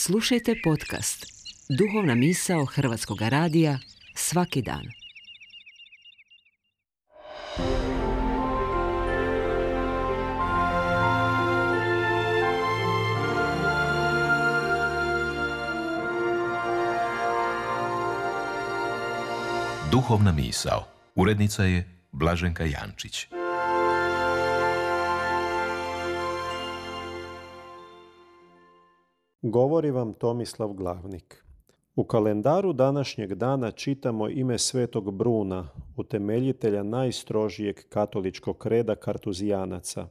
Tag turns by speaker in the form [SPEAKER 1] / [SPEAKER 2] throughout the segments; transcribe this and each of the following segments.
[SPEAKER 1] Slušajte podcast Duhovna misao Hrvatskog radija svaki dan.
[SPEAKER 2] Duhovna misao. Urednica je Blaženka Jančić.
[SPEAKER 3] Govori vam Tomislav Glavnik. U kalendaru današnjeg dana čitamo ime svetog Bruna, utemeljitelja najstrožijeg katoličkog reda kartuzijanaca.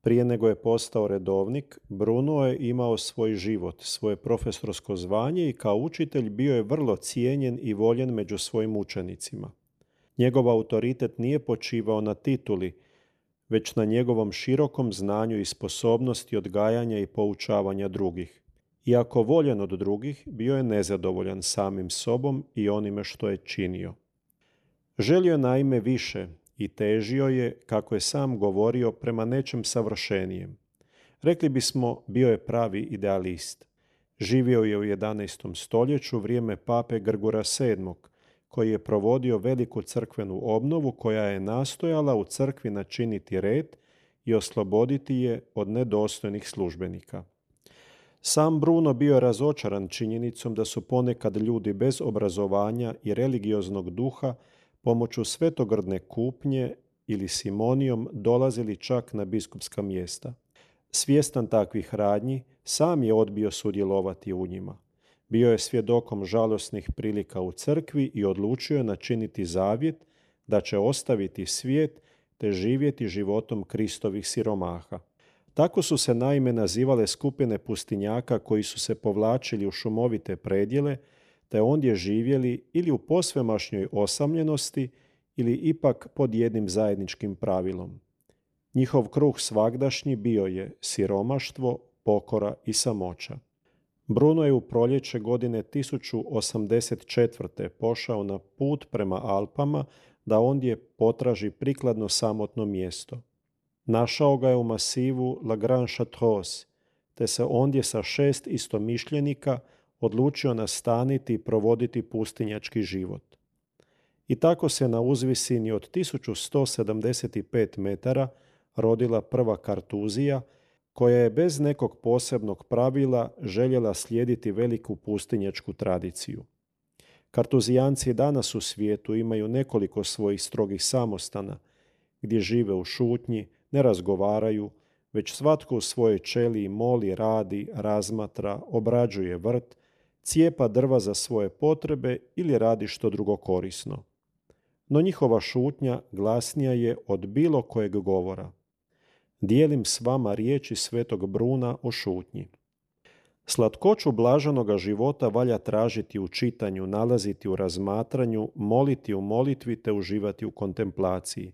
[SPEAKER 3] Prije nego je postao redovnik, Bruno je imao svoj život, svoje profesorsko zvanje i kao učitelj bio je vrlo cijenjen i voljen među svojim učenicima. Njegov autoritet nije počivao na tituli, već na njegovom širokom znanju i sposobnosti odgajanja i poučavanja drugih. Iako voljen od drugih, bio je nezadovoljan samim sobom i onime što je činio. Želio je naime više i težio je, kako je sam govorio, prema nečem savršenijem. Rekli bismo, bio je pravi idealist. Živio je u 11. stoljeću, vrijeme pape Grgura VII, koji je provodio veliku crkvenu obnovu koja je nastojala u crkvi načiniti red i osloboditi je od nedostojnih službenika. Sam Bruno bio je razočaran činjenicom da su ponekad ljudi bez obrazovanja i religioznog duha pomoću svetogrdne kupnje ili simonijom dolazili čak na biskupska mjesta. Svjestan takvih radnji, sam je odbio sudjelovati u njima. Bio je svjedokom žalosnih prilika u crkvi i odlučio je načiniti zavjet da će ostaviti svijet te živjeti životom Kristovih siromaha. Tako su se naime nazivale skupine pustinjaka koji su se povlačili u šumovite predjele, te ondje živjeli ili u posvemašnjoj osamljenosti ili ipak pod jednim zajedničkim pravilom. Njihov kruh svagdašnji bio je siromaštvo, pokora i samoća. Bruno je u proljeće godine 1084. pošao na put prema Alpama da ondje potraži prikladno samotno mjesto. Našao ga je u masivu La Grande Chartreuse, te se ondje sa 6 istomišljenika odlučio nastaniti i provoditi pustinjački život. I tako se na uzvisini od 1175 metara rodila prva Kartuzija, koja je bez nekog posebnog pravila željela slijediti veliku pustinjačku tradiciju. Kartuzijanci danas u svijetu imaju nekoliko svojih strogih samostana, gdje žive u šutnji, ne razgovaraju, već svatko u svojoj ćeliji moli, radi, razmatra, obrađuje vrt, cijepa drva za svoje potrebe ili radi što drugo korisno. No njihova šutnja glasnija je od bilo kojeg govora. Dijelim s vama riječi svetog Bruna o šutnji. Slatkoću blaženoga života valja tražiti u čitanju, nalaziti u razmatranju, moliti u molitvi te uživati u kontemplaciji.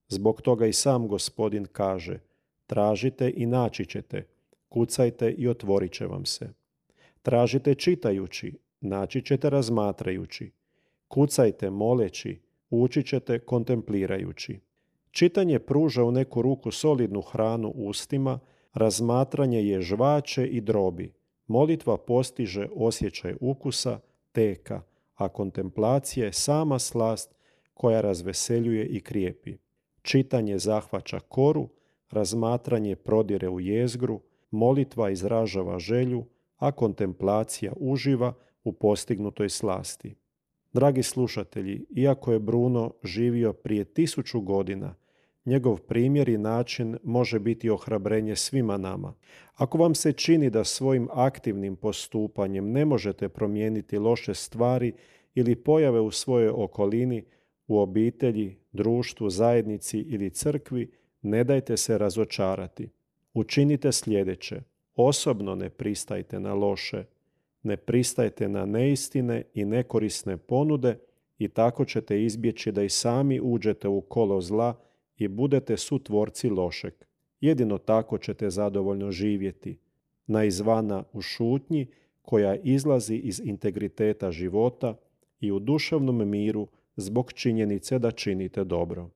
[SPEAKER 3] Zbog toga i sam Gospodin kaže: tražite i naći ćete, kucajte i otvorit će vam se. Tražite čitajući, naći ćete razmatrajući. Kucajte moleći, ući ćete kontemplirajući. Čitanje pruža u neku ruku solidnu hranu ustima, razmatranje je žvače i drobi. Molitva postiže osjećaj ukusa, teka, a kontemplacija je sama slast koja razveseljuje i krijepi. Čitanje zahvaća koru, razmatranje prodire u jezgru, molitva izražava želju, a kontemplacija uživa u postignutoj slasti. Dragi slušatelji, iako je Bruno živio prije 1000 godina, njegov primjer i način može biti ohrabrenje svima nama. Ako vam se čini da svojim aktivnim postupanjem ne možete promijeniti loše stvari ili pojave u svojoj okolini, u obitelji, društvu, zajednici ili crkvi, ne dajte se razočarati. Učinite sljedeće. Osobno ne pristajte na loše, ne pristajte na neistine i nekorisne ponude i tako ćete izbjeći da i sami uđete u kolo zla i budete sutvorci lošeg. Jedino tako ćete zadovoljno živjeti, na izvana u šutnji koja izlazi iz integriteta života i u duševnom miru zbog činjenice da činite dobro.